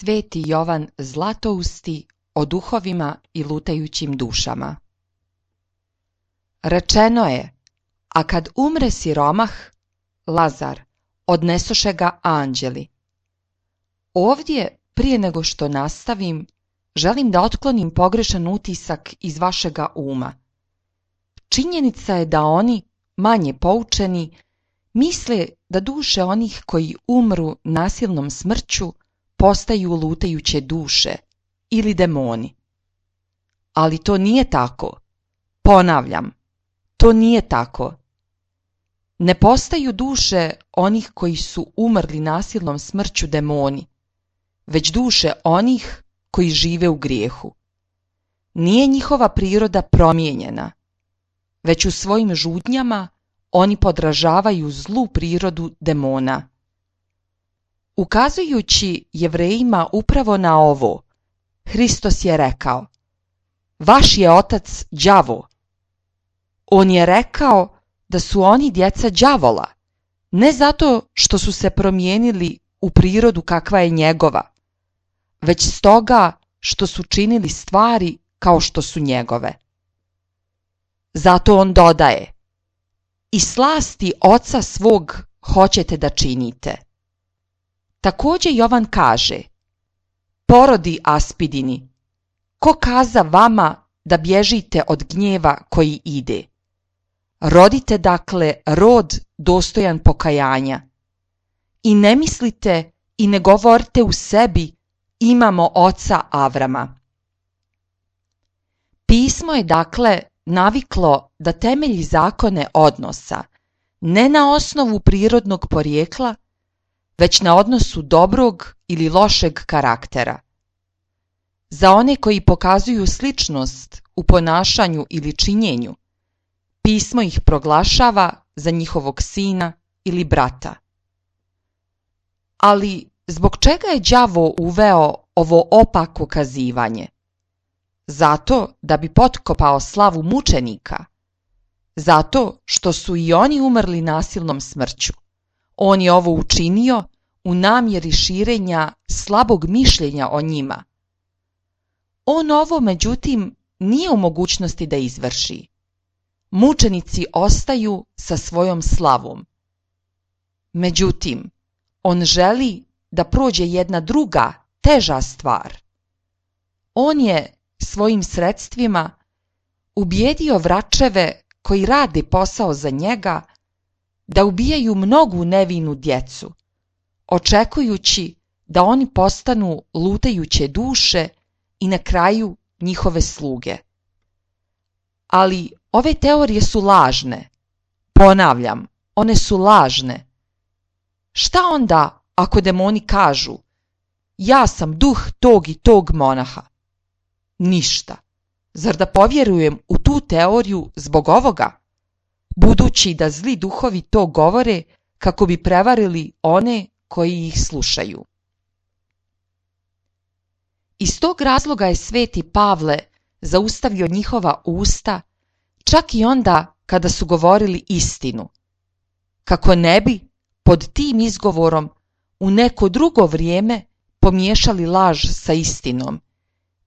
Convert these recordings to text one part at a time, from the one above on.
Sveti Jovan Zlatousti o duhovima i lutajućim dušama. Rečeno je, a kad umre siromah, Lazar, odnesoše ga anđeli. Ovdje, prije nego što nastavim, želim da otklonim pogrešan utisak iz vašega uma. Činjenica je da oni, manje poučeni, misle da duše onih koji umru nasilnom smrću postaju lutajuće duše ili demoni. Ali to nije tako. Ponavljam, to nije tako. Ne postaju duše onih koji su umrli nasilnom smrću demoni, već duše onih koji žive u grijehu. Nije njihova priroda promijenjena, već u svojim žudnjama oni podražavaju zlu prirodu demona. Ukazujući Jevrejima upravo na ovo, Hristos je rekao: vaš je otac đavo. On je rekao da su oni djeca đavola, ne zato što su se promijenili u prirodu kakva je njegova, već stoga što su činili stvari kao što su njegove. Zato on dodaje: i slasti oca svog hoćete da činite. Također Jovan kaže: porodi aspidini, ko kaza vama da bježite od gnjeva koji ide? Rodite dakle rod dostojan pokajanja. I ne mislite i ne govorite u sebi: imamo oca Avrama. Pismo je dakle naviklo da temelji zakone odnosa ne na osnovu prirodnog porijekla, već na odnosu dobrog ili lošeg karaktera. Za one koji pokazuju sličnost u ponašanju ili činjenju, pismo ih proglašava za njihovog sina ili brata. Ali zbog čega je đavo uveo ovo opako kazivanje? Zato da bi potkopao slavu mučenika. Zato što su i oni umrli nasilnom smrću. On je ovo učinio u namjeri širenja slabog mišljenja o njima. On ovo, međutim, nije u mogućnosti da izvrši. Mučenici ostaju sa svojom slavom. Međutim, on želi da prođe jedna druga, teža stvar. On je svojim sredstvima ubijedio vračeve koji rade posao za njega da ubijaju mnogu nevinu djecu, očekujući da oni postanu lutajuće duše i na kraju njihove sluge. Ali ove teorije su lažne. Ponavljam, one su lažne. Šta onda ako demoni kažu: ja sam duh tog i tog monaha? Ništa. Zar da povjerujem u tu teoriju zbog ovoga? Budući da zli duhovi to govore kako bi prevarili one koji ih slušaju. Iz tog razloga je sveti Pavle zaustavio njihova usta čak i onda kada su govorili istinu, kako ne bi pod tim izgovorom u neko drugo vrijeme pomiješali laž sa istinom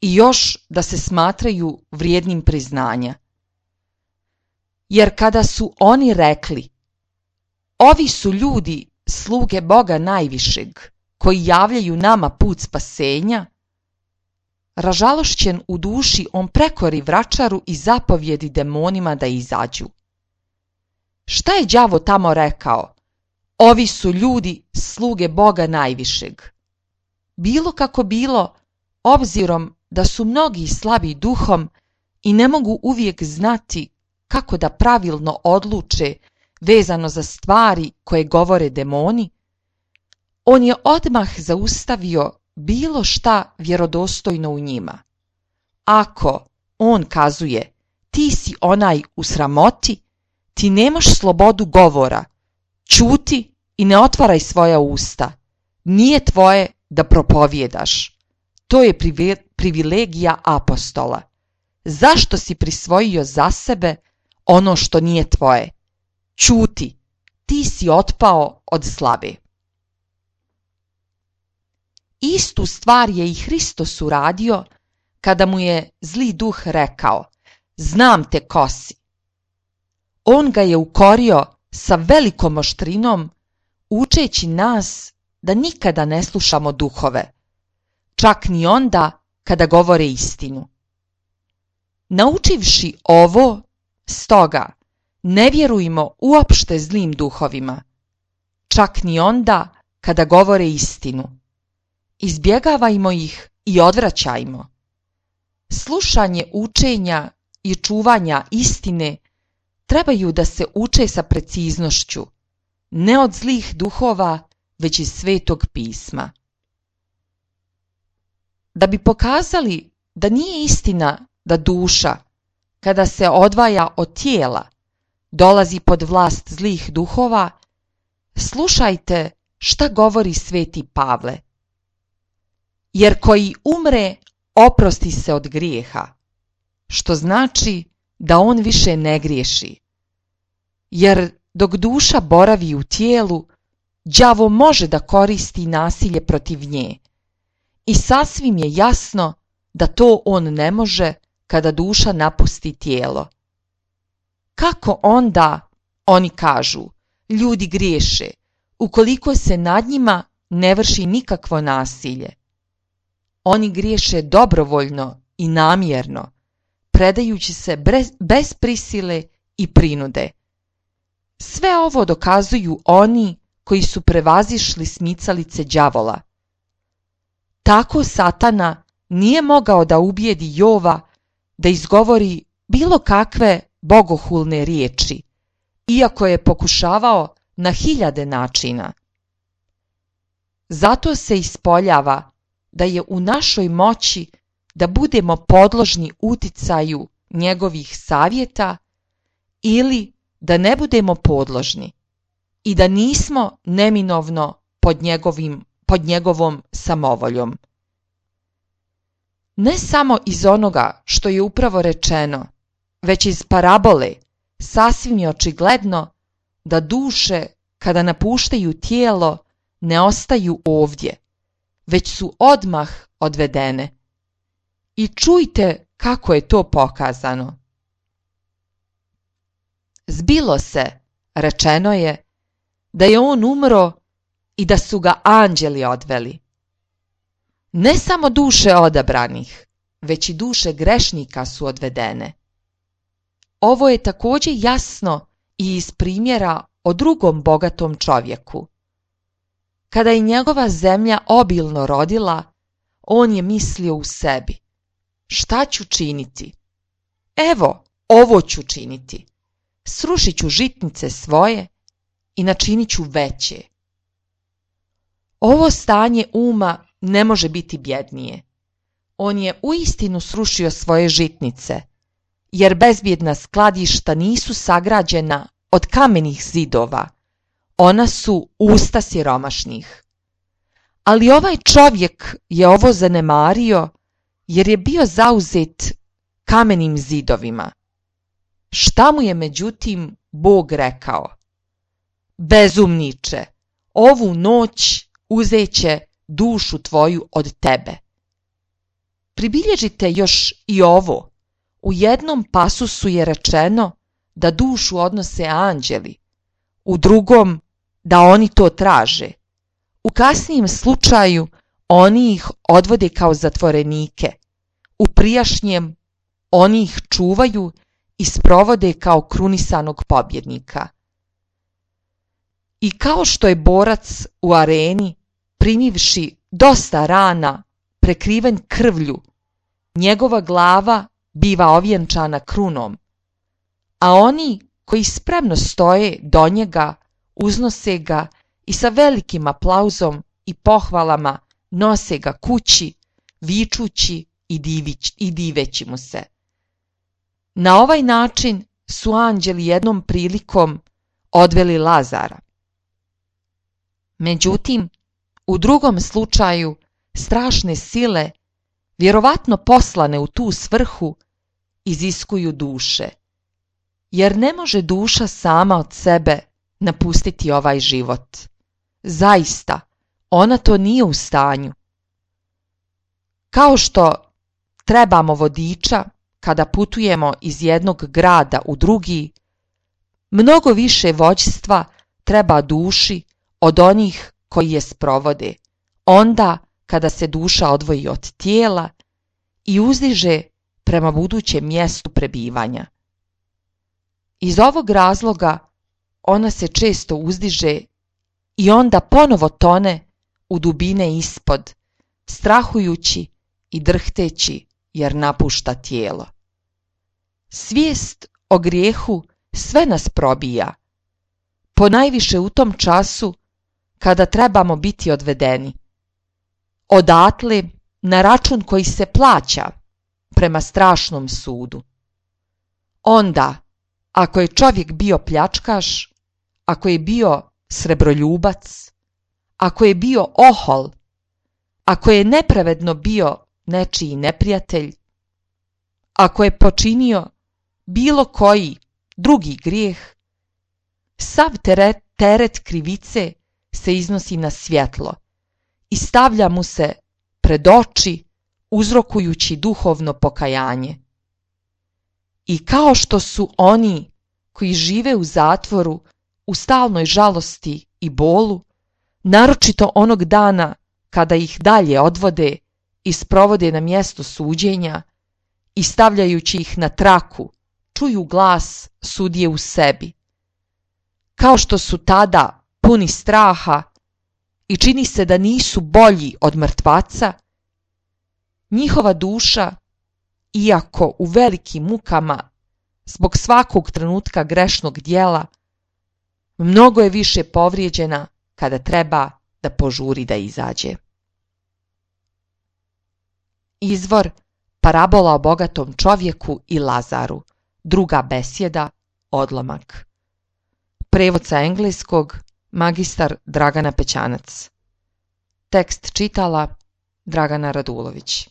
i još da se smatraju vrijednim priznanja. Jer kada su oni rekli: ovi su ljudi sluge Boga najvišeg, koji javljaju nama put spasenja, ražalošćen u duši on prekori vračaru i zapovjedi demonima da izađu. Šta je đavo tamo rekao? Ovi su ljudi sluge Boga najvišeg. Bilo kako bilo, obzirom da su mnogi slabi duhom i ne mogu uvijek znati kako da pravilno odluče vezano za stvari koje govore demoni, on je odmah zaustavio bilo šta vjerodostojno u njima. Ako on kazuje: ti si onaj u sramoti, ti nemaš slobodu govora, ćuti i ne otvaraj svoja usta, nije tvoje da propovjedaš. To je privilegija apostola. Zašto si prisvojio za sebe ono što nije tvoje? Ćuti, ti si otpao od slabe. Istu stvar je i Hristos uradio kada mu je zli duh rekao: znam te ko si. On ga je ukorio sa velikom oštrinom, učeći nas da nikada ne slušamo duhove, čak ni onda kada govore istinu. Naučivši ovo, stoga, ne vjerujmo uopšte zlim duhovima, čak ni onda kada govore istinu. Izbjegavajmo ih i odvraćajmo. Slušanje učenja i čuvanja istine trebaju da se uče sa preciznošću, ne od zlih duhova, već iz Svetog pisma. Da bi pokazali da nije istina da duša, kada se odvaja od tijela, dolazi pod vlast zlih duhova, slušajte šta govori Sveti Pavle. Jer koji umre, oprosti se od grijeha, što znači da on više ne griješi. Jer dok duša boravi u tijelu, đavo može da koristi nasilje protiv nje. I sasvim je jasno da to on ne može kada duša napusti tijelo. Kako onda, oni kažu, ljudi griješe, ukoliko se nad njima ne vrši nikakvo nasilje? Oni griješe dobrovoljno i namjerno, predajući se bez prisile i prinude. Sve ovo dokazuju oni koji su prevazišli smicalice đavola. Tako Satana nije mogao da ubijedi Jova da izgovori bilo kakve bogohulne riječi, iako je pokušavao na 1000 načina. Zato se ispoljava da je u našoj moći da budemo podložni uticaju njegovih savjeta ili da ne budemo podložni i da nismo neminovno pod njegovom samovoljom. Ne samo iz onoga što je upravo rečeno, već iz parabole sasvim je očigledno da duše kada napuštaju tijelo ne ostaju ovdje, već su odmah odvedene. I čujte kako je to pokazano. Zbilo se, rečeno je, da je on umro i da su ga anđeli odveli. Ne samo duše odabranih, već i duše grešnika su odvedene. Ovo je također jasno i iz primjera o drugom bogatom čovjeku. Kada je njegova zemlja obilno rodila, on je mislio u sebi: šta ću činiti? Evo, ovo ću činiti. Srušit ću žitnice svoje i načinit ću veće. Ovo stanje uma ne može biti bjednije. On je uistinu srušio svoje žitnice, jer bezbjedna skladišta nisu sagrađena od kamenih zidova, ona su usta siromašnih. Ali ovaj čovjek je ovo zanemario jer je bio zauzet kamenim zidovima. Šta mu je međutim Bog rekao? Bezumniče, ovu noć uzeće dušu tvoju od tebe. Pribilježite još i ovo. U jednom pasusu je rečeno da dušu odnose anđeli, u drugom da oni to traže. U kasnijem slučaju oni ih odvode kao zatvorenike, u prijašnjem oni ih čuvaju i sprovode kao krunisanog pobjednika. I kao što je borac u areni, primivši dosta rana, prekriven krvlju, njegova glava biva ovjenčana krunom, a oni koji spremno stoje do njega uznose ga i sa velikim aplauzom i pohvalama nose ga kući, vičući i diveći mu se. Na ovaj način su anđeli jednom prilikom odveli Lazara. Međutim, u drugom slučaju strašne sile, vjerovatno poslane u tu svrhu, iziskuju duše, jer ne može duša sama od sebe napustiti ovaj život. Zaista, ona to nije u stanju, Kao što trebamo vodiča kada putujemo iz jednog grada u drugi, mnogo više vođstva treba duši od onih koji je sprovode, onda kada se duša odvoji od tijela i uzdiže prema budućem mjestu prebivanja. Iz ovog razloga ona se često uzdiže i onda ponovo tone u dubine ispod, strahujući i drhteći jer napušta tijelo. Svijest o grijehu sve nas probija, ponajviše u tom času kada trebamo biti odvedeni. Odatle na račun koji se plaća prema strašnom sudu. Onda, ako je čovjek bio pljačkaš, ako je bio srebroljubac, ako je bio ohol, ako je nepravedno bio nečiji neprijatelj, ako je počinio bilo koji drugi grijeh, sav teret krivice se iznosi na svjetlo i stavlja mu se pred oči, uzrokujući duhovno pokajanje. I kao što su oni koji žive u zatvoru u stalnoj žalosti i bolu, naročito onog dana kada ih dalje odvode i sprovode na mjesto suđenja i stavljajući ih na traku, čuju glas sudije u sebi. Kao što su tada puni straha i čini se da nisu bolji od mrtvaca, njihova duša, iako u velikim mukama zbog svakog trenutka grešnog djela, mnogo je više povrijeđena kada treba da požuri da izađe. Izvor Parabola o bogatom čovjeku i Lazaru, druga besjeda, odlomak. Prevod sa engleskog, magistar Dragana Pećanac. Tekst čitala Dragana Radulović.